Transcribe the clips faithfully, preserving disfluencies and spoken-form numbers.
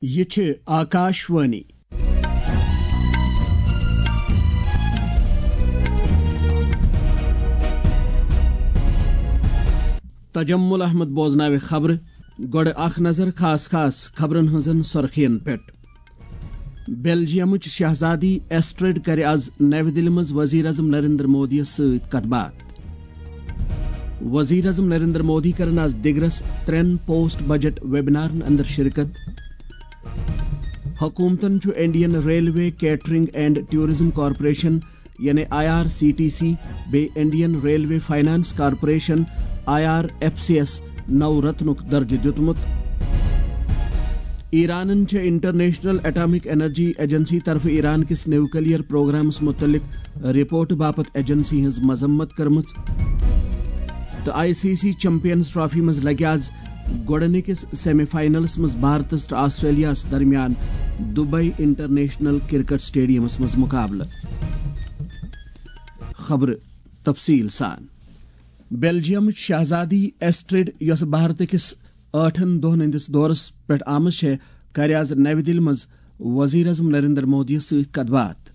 یہِ چھِ آکاشوانی۔ تجمل احمد بوزناوِ خبرٕ۔ گۄڈٕ اکھ نظر خاص خاص خبرن ہٕنٛزن سرخین پٮ۪ٹھ۔ بیلجیمٕچ شہزادی ایسٹرڈ کرِ از نَوِ دِلہِ منٛز وزیر اعظم نریندر مودیَس سۭتۍ کتھ باتھ۔ وزیر اعظم نریندر مودی کرن از دِگرس ترٛٮ۪ن پوسٹ بجٹ ویبنارن اندر شرکت۔ حکومتن چھُ Indian railway catering and tourism corporation, یعنی I R C T C, بیٚیہِ Indian railway finance corporation, I R F C یَس نو رتنُک درجہٕ دیُتمُت۔ ایرانن چھےٚ انٹرنیشنل اٹامک انرجی ایجنسی طرفہٕ ایران کِس نیوکلیئر پروگرامس مُتعلق رپورٹ باپتھ ایجنسی ہٕنٛز مذمت کٔرمٕژ۔ تہٕ I C C champions trophy منٛز لگہِ آز گۄڈٕنِکِس سیمی فائنلس منٛز بھارتس تہٕ آسٹریلیاہس درمیان دبئی انٹرنیشنل کرکٹ سٹیڈیمس منٛز مقابلہٕ۔ خبرٕ تفصیل سان۔ بیلجیمٕچ شہزادی ایسٹرڈ، یۄس بھارت کِس ٲٹھن دۄہن ہٕنٛدِس دورس پٮ۪ٹھ آمٕژ چھےٚ، کرِ آز نَوِ دِلہِ منٛز وزیر اعظم نریندر مودیَس سۭتۍ کتھ باتھ۔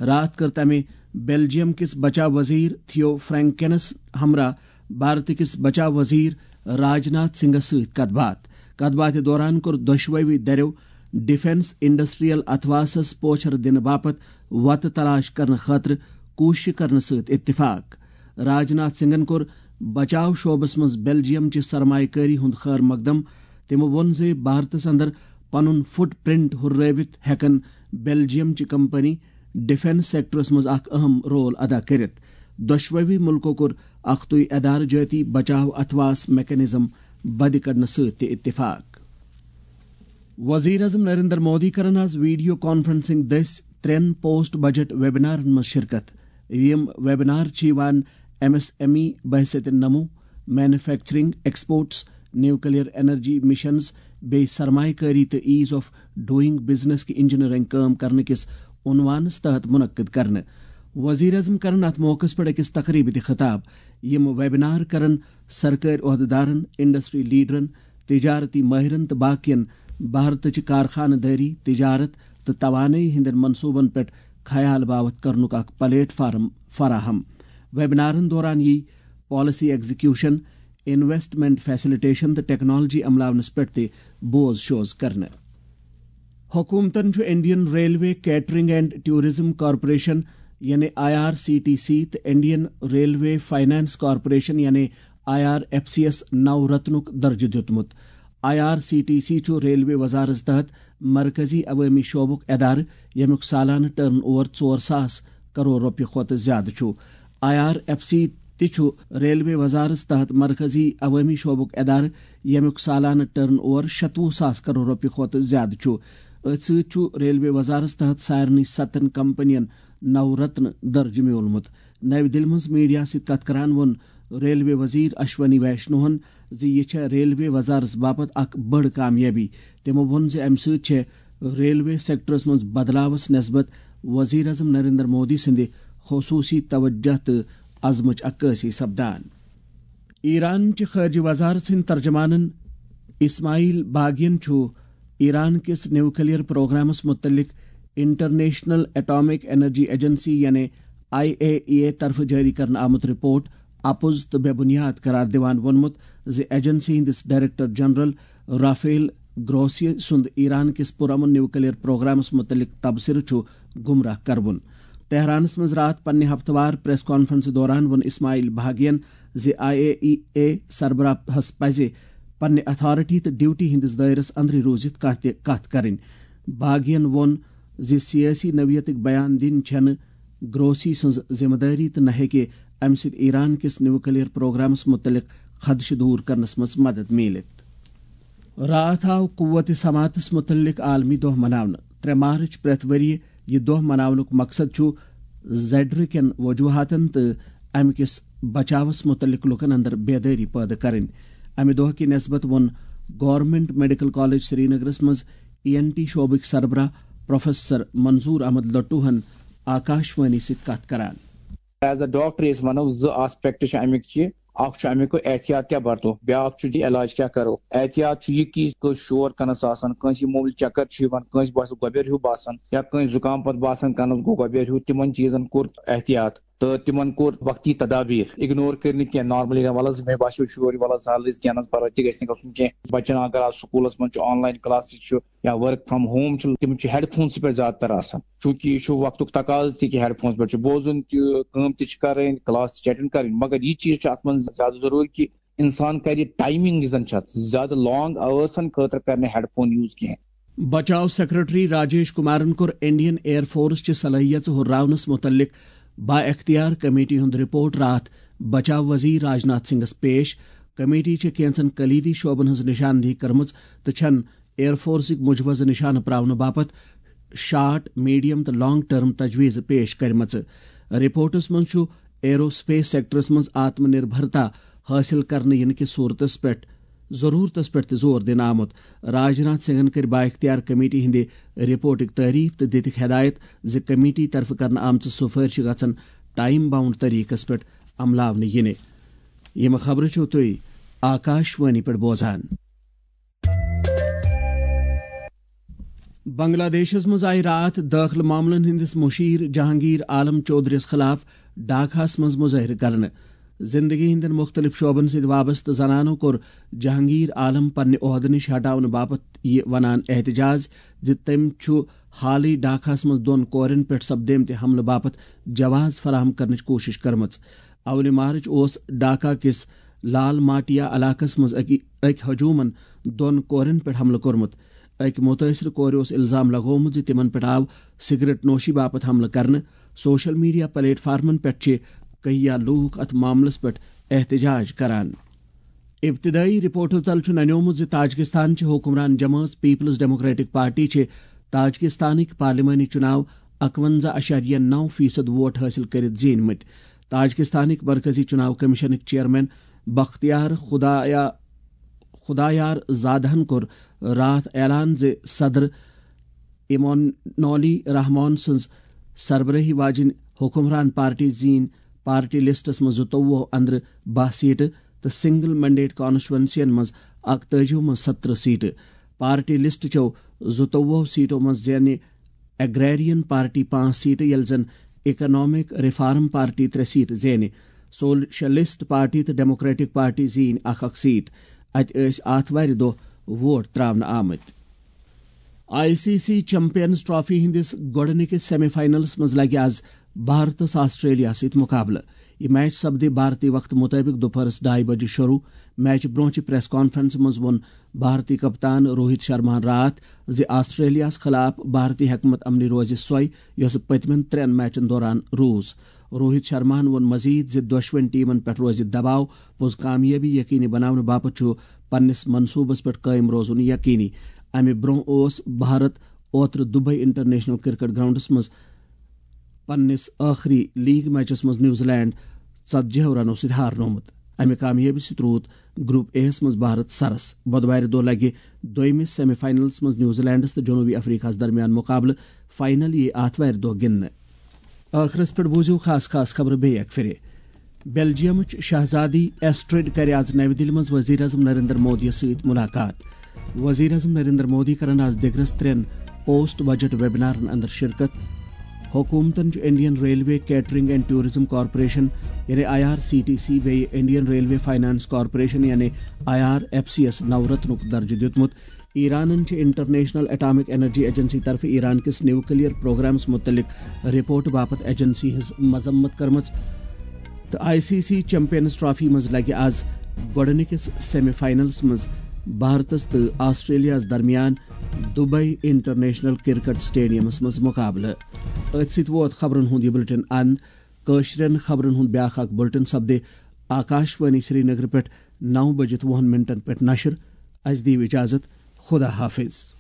راتھ کٔر تٔمۍ بیلجیم کِس بچاو وزیر تھیو فرینکنس ہمراہ بھارت کِس بچاو وزیر راج ناتھ سنگھس سۭتۍ کتھ باتھ۔ کتھ باتھِ دوران کوٚر دۄشوٕے دٔریو ڈیفنس انڈسٹریل اتھواسس پوچھر دِنہٕ باپتھ وتہٕ تلاش کرنہٕ خٲطرٕ کوٗششہٕ کرنہٕ سۭتۍ اتفاق۔ راج ناتھ سنگھن کوٚر بچاو شعبس منٛز بیلجیم چہِ سرمایہ کٲری ہُنٛد خٲر مقدم۔ تٔمۍ ووٚن زِ بھارتس اندر پنُن فٹ پرنٹ ہُررٲوِتھ ہٮ۪کن بیلجیم چہِ کمپنی ڈیفنس سیکٹرس منٛز اکھ اہم رول ادا کٔرِتھ۔ دۄشوٕے مُلکو کوٚر اکھتُے ادارٕ جٲتی بچاو اتھواس میکانزم بدِ کڑنہٕ سۭتۍ تہِ اتفاق۔ وزیر اعظم نریندر مودی کرن آز ویڈیو کانفرنسنگ دٔسۍ ترٛٮ۪ن پوسٹ بجٹ ویبنارن منٛز شرکت۔ یِم ویبنار چھِ یِوان ایم ایس ایم ای بحیثیت نمو، manufacturing, exports, nuclear energy missions, بیٚیہِ سرمایہ کٲری تہٕ ایز آف ڈوئنگ بزنس کہِ انجینئرنگ کٲم کرنہٕ کِس عنوانس تحت منعقد کرنہٕ۔ وزیر اعظم کرن اتھ موقعس پٮ۪ٹھ أکِس تقریبہِ تہِ خطاب۔ یِم ویبنار کرن سرکٲرۍ عہدیدارن، انڈسٹری لیڈرن، تجارتی ماہرن تہٕ باقین بھارتٕچ کارخانہٕ دٲری، تجارت تہٕ توانٲیی ہٕنٛدٮ۪ن منصوبن پٮ۪ٹھ خیال باوتھ کرنُک اکھ پلیٹ فارم فراہم۔ ویبنارن دوران یی پالیسی ایگزیکیوشن، انویسٹمنٹ فیسلٹیشن تہٕ ٹیکنالوجی عملاونس پٮ۪ٹھ تہِ بوز شوز کرنہٕ۔ حکومتن چھُ Indian railway catering and tourism corporation, یعنی I R C T C, تہٕ انڈین ریلوے فائنانس کارپوریشن، یعنی آئی آر ایف سی یَس نو رتنُک درجہٕ دیُتمُت۔ I R C T C چھُ ریلوے وزارت تحت مرکزی عوٲمی شعبُک ادارٕ، ییٚمیُک سالانہٕ ٹرن اوور ژور ساس کرور رۄپیہِ کھۄتہٕ زیادٕ چھُ۔ آئی آر ایف سی تہِ چھُ ریلوے وزارت تحت مرکزی عوٲمی شعبُک ادارٕ، ییٚمیُک سالانہٕ ٹرن اوور شتوُہ ساس کرور رۄپیہِ کھۄتہٕ زیادٕ چھُ۔ أتھۍ سۭتۍ چھُ ریلوے وزارت تحت سارنٕے ستن کمپنین نو رتن درجہٕ میوٗلمُت۔ نَوِ دِلہِ منٛز میڈیا سۭتۍ کتھ کران ووٚن ریلوے وزیر اشونی ویشنوہن زِ یہِ چھےٚ ریلوے وزارت باپتھ اکھ بٔڑ کامیٲبی۔ تٔمۍ ووٚن زِ امہِ سۭتۍ چھےٚ ریلوے سیکٹرس منٛز بدلاوس نسبت وزیر اعظم نریندر مودی سٕنٛدِ خصوصی توجہ تہٕ عزمٕچ عکٲسی سپدان۔ ایران چہِ خارجہ وزارت سٕنٛدۍ ترجمانن اسماعیل باغین چھُ ایران کِس نیوکلیئر پروگرامس متعلق انٹرنیشنل اٹامک انرجی ایجنسی، یعنی آئی اے ای اے، طرفہٕ جٲری کرنہٕ آمُت رپورٹ اپُز تہٕ بے بنیاد قرار دِوان ووٚنمُت زِ ایجنسی ہٕنٛدِس ڈائریکٹر جنرل رافیل گروسی سُنٛد ایران کِس پرامن نیوکلیئر پروگرامس متعلق تبصرٕ چھُ گمراہ کروُن۔ تہرانس منٛز راتھ پننہِ ہفتہٕ وار پریس کانفرنس دوران ووٚن اسماعیل بھاگین زِ آئی اے ای اے سربراہس پزِ پننہِ اتھارٹی تہٕ ڈیوٹی ہٕنٛدِس دٲیرس اندرٕے روٗزِتھ کانٛہہ تہِ کتھ کرٕنۍ۔ بھاگین ووٚن زِ سیٲسی نوعیتٕکۍ بیان دِنۍ چھنہٕ گروسی سٕنٛز ذمہٕ دٲری تہٕ نہ ہیٚکہِ امہِ سۭتۍ ایران کِس نیوکلیئر پروگرامس متعلق خدشہٕ دوٗر کرنس منٛز مدد میٖلِتھ۔ راتھ آو قوت سماعتس متعلق عالمی دۄہ مناونہٕ۔ ترٛےٚ مارچ پرٛٮ۪تھ ؤریہِ۔ یہِ دۄہ مناونُک مقصد چھُ زڈرٕ کٮ۪ن وجوہاتن تہٕ امہِ کِس بچاوس متعلق لوٗکن اندر بیدٲری پٲدٕ کرٕنۍ۔ امہِ دۄہ کہِ نسبت ووٚن گورنمنٹ میڈیکل کالج سرینگرس منٛز ای این ٹی شعبٕکۍ سربراہ پروفیسر منظور احمد لٹوہن آکاشوانی سۭتۍ کتھ کران۔ ایز اے ڈاکٹر أسۍ ونو زٕ آسپیکٹ چھِ امیُک یہِ۔ اکھ چھُ اَمیُک احتیاط کیٛاہ برتو، بیٛاکھ چھُ یہِ علاج کیٛاہ کرو۔ احتیاط چھُ یہِ کہِ کٲنٛسہِ شور کَنَس آسان، کٲنٛسہِ معموٗلی چکر چھُ یِوان، کٲنٛسہِ باسہِ گۄبٮ۪ر ہیوٗ باسان یا کٲنٛسہِ زُکام پَتہٕ باسان کَنَس گوٚو گۄبٮ۪ر ہیوٗ، تِمن چیٖزن کوٚر احتیاط۔ تہٕ تِمن کوٚر وقتی تدابیر، اِگنور کٔرۍ نہٕ کینٛہہ، نارملی وَلہٕ حظ مےٚ باسیو شور، وَلہٕ حظ حالٕے کینٛہہ نہ حظ پَرواے تہِ گژھِ نہٕ گژھُن کینٛہہ۔ بَچَن اگر آز سکوٗلَس منٛز چھُ آن لاین کلاسز چھُ یا ورک فرام ہوم چھُ، تِم چھِ ہیڈ فونسٕے پٮ۪ٹھ زیادٕ تر آسان، چوٗنٛکہِ یہِ چھُ وقتُک تقاضہٕ تہِ کہِ ہیڈ فونس پٮ۪ٹھ چھُ بوزُن تہِ، کٲم تہِ چھِ کَرٕنۍ، کلاس تہِ چھِ اٹینڈ کَرٕنۍ، مگر یہِ چیٖز چھُ اَتھ منٛز زیادٕ ضروٗری کہِ انسان کرِ ٹائمنگ یُس زن چھِ اتھ زیادٕ لانگ آورسن خٲطرٕ کرِ نہٕ ہیڈ فون یوز کینٛہہ۔ بچاو سیکرٹری راجیش کمارن کوٚر انڈین ایئر فورس چہِ صلٲحیژٕ ہُرراونس متعلق با اختیار کمیٹی ہُنٛد رپورٹ راتھ بچاو وزیر راجناتھ سنگھس پیش۔ کمیٹی چھےٚ کینژن کلیدی شعبن ہٕنٛز نشاندہی کٔرمٕژ تہٕ چھن ایئر فورسٕکۍ مجوزٕ نشانہٕ پراونہٕ باپتھ شارٹ، میڈیم تہٕ لانگ ٹرم تجویز پیش کٔرمٕژ۔ رپورٹس منٛز چھُ ایرو سپیس سیکٹرس منٛز آتم نربھرتا حٲصِل کرنہٕ یِنہٕ کِس صورتس پٮ۪ٹھ، ضروٗرتس پٮ۪ٹھ تہِ زور دِنہٕ آمُت۔ راجناتھ سنگھن کٔر بااختیار کمیٹی ہٕنٛدِ رپورٹٕکۍ تعریف تہٕ دِتِکھ ہدایت زِ کمیٹی طرفہٕ کرنہٕ آمژٕ سفٲرشہِ گژھن ٹائم باؤنڈ طریقس پٮ۪ٹھ عملاونہٕ یِنہِ۔ یِم خبرٕ چھِو تُہۍ آکاش وانی پٮ۪ٹھ بوزان۔ بنگلہ دیشس منٛز آیہِ راتھ دٲخلہٕ معاملن ہٕنٛدِس مُشیر جہانگیر عالم چودھرِس خلاف ڈھاکہس منٛز مظٲہرٕ کرنہٕ۔ زندگی ہٕنٛدٮ۪ن مُختٔلِف شعبن سۭتۍ وابستہٕ زنانو کوٚر جہانگیر عالم پننہِ عہدٕ نِش ہٹاونہٕ باپتھ یہِ ونان احتجاج زِ تٔمۍ چھُ حالٕے ڈھاکہس منٛز دۄن کورٮ۪ن پٮ۪ٹھ سپدیمتہِ حملہٕ باپتھ جواز فراہم کرنٕچ کوٗشش کٔرمٕژ۔ اولہِ مارچ اوس ڈھاکہ کِس لال ماٹیا علاقس منٛز أکۍ، أکۍ ہجومن دۄن کورٮ۪ن پٮ۪ٹھ حملہٕ کوٚرمُت۔ أکۍ مُتٲثرٕ کورِ اوس الزام لگومُت زِ تِمن پٮ۪ٹھ آو سگریٹ نوشی باپتھ حملہٕ کرنہٕ۔ سوشل میڈیا پلیٹ فارمن پٮ۪ٹھ چھِ کہیا لوٗکھ اتھ معاملس پٮ۪ٹھ احتجاج کران۔ ابتدٲئی رپورٹو تل چھُ ننیومُت زِ تاجکستان چہِ حکمران جمٲژ پیپلز ڈیموکریٹک پارٹی چھِ تاجکستانٕکۍ پارلیمانی چُناو اکونزہ اعشاریہ نو فیصد ووٹ حٲصِل کٔرِتھ زیٖنۍ مٕتۍ۔ تاجکستانٕکۍ مرکزی چُناو کمیشنٕکۍ چیئرمین بختیار خدایا-، خدایار زادہن کوٚر راتھ اعلان زِ صدر امانولی رحمان سٕنٛز سربرٲہی واجِنۍ حکمران پارٹی زیٖنۍ پارٹی لسٹس منٛز زٕتووُہ اندرٕ باہ سیٹہٕ تہٕ سنگل مینڈیٹ کانسٹیچوئنسین منٛز اکتٲجی منٛز سترہ سیٹہٕ۔ پارٹی لسٹ چو زٕتووُہ سیٹو منٛز زینہِ ایگریرین پارٹی پانٛژھ سیٹہٕ، ییٚلہِ زن اکنامک ریفارم پارٹی ترٛےٚ سیٹہٕ زینہِ۔ سوشلسٹ پارٹی تہٕ ڈیموکریٹک پارٹی زیٖنۍ اکھ اکھ سیٹ۔ اتہِ ٲسۍ آتھوارِ دۄہ ووٹ تراونہٕ آمٕتۍ۔ I C C champions Trophy ہٕنٛدِس گۄڈٕنِکِس سیمی فاینلس منٛز لگہِ آز بھارتس آسٹریلیا سۭتۍ مقابلہٕ۔ یہِ میچ سپدِ بھارتی وقتہٕ مُطٲبِق دُپہرس ڈاے بجہِ شروع۔ میچہِ برونٛہہ چہِ پریس کانفرنسہِ منٛز ووٚن بھارتی کپتان روہت شرماہن راتھ زِ آسٹریلیاہس خلاف بھارتی حکمت عملی روزِ سۄے، یۄسہٕ پٔتمٮ۪ن ترٛٮ۪ن میچن دوران روٗز۔ روہت شرماہن ووٚن مزید زِ دۄشوٕنۍ ٹیمن پٮ۪ٹھ روزِ دباو، پوٚز کامیٲبی یقینی بناونہٕ باپتھ چھُ پننِس منصوبس پٮ۪ٹھ قٲیِم روزُن یقینی۔ امہِ برونٛہہ اوس بھارت اوترٕ دبئی انٹرنیشنل کرکٹ گراؤنڈس منٛز پننِس ٲخری لیگ میچس منٛز نیوزی لینڈ ژتجی رنو سۭتۍ ہارنومُت۔ امہِ کامیٲبی سۭتۍ روٗد گروپ اے یَس منٛز بھارت سرس۔ بۄدوارِ دۄہ لگہِ دوٚیمِس سیمی فاینلس منٛز نیوزی لینڈس تہٕ جنوبی افریقہس درمیان مقابلہٕ۔ فاینل یِیہِ آتھوارِ دۄہ گِنٛدنہٕ۔ ٲخرس پٮ۪ٹھ بوٗزِو خاص خاص خبرٕ بیٚیہِ اکہِ پھِرِ۔ بیلجیمٕچ شہزادی ایسٹرڈ کرِ آز نَوِ دِلہِ منٛز وزیر اعظم نریندر مودیَس سۭتۍ مُلاقات۔ وزیر اعظم نریندر مودی کرن آز دِگرس ترٛٮ۪ن پوسٹ بجٹ ویبنارن اندر شرکت۔ حکومتن چھُ Indian railway catering and tourism corporation یعنی I R C T C بیٚیہِ انڈین ریلوے فائنانس کارپوریشن یعنی آئی آر ایف سی یَس نو رتنُک درجہٕ دیُتمُت۔ ایرانن چھِ انٹرنیشنل اٹامک انرجی ایجنسی طرفہٕ ایران کِس نیوکلیئر پروگرامس متعلق رپورٹ باپتھ ایجنسی ہٕنٛز مذمت کٔرمٕژ۔ تہٕ I C C champions trophy منٛز لگہِ آز گۄڈٕنِکِس سیمی فاینلس منٛز بھارتس تہٕ آسٹریلیاہس درمیان دبئی انٹرنیشنل کرکٹ سٹیڈیمس منٛز مقابلہٕ۔ أتھۍ سۭتۍ ووت خبرن ہُنٛد یہِ بلیٹن اند۔ کٲشرٮ۪ن خبرن ہُنٛد بیٛاکھ اکھ بلیٹن سپدِ آکاش وانی سرینگر پٮ۪ٹھ نو بجِتھ وُہن منٹن پٮ۪ٹھ نشر۔ اسہِ دِیِو اجازت۔ خدا حافظ۔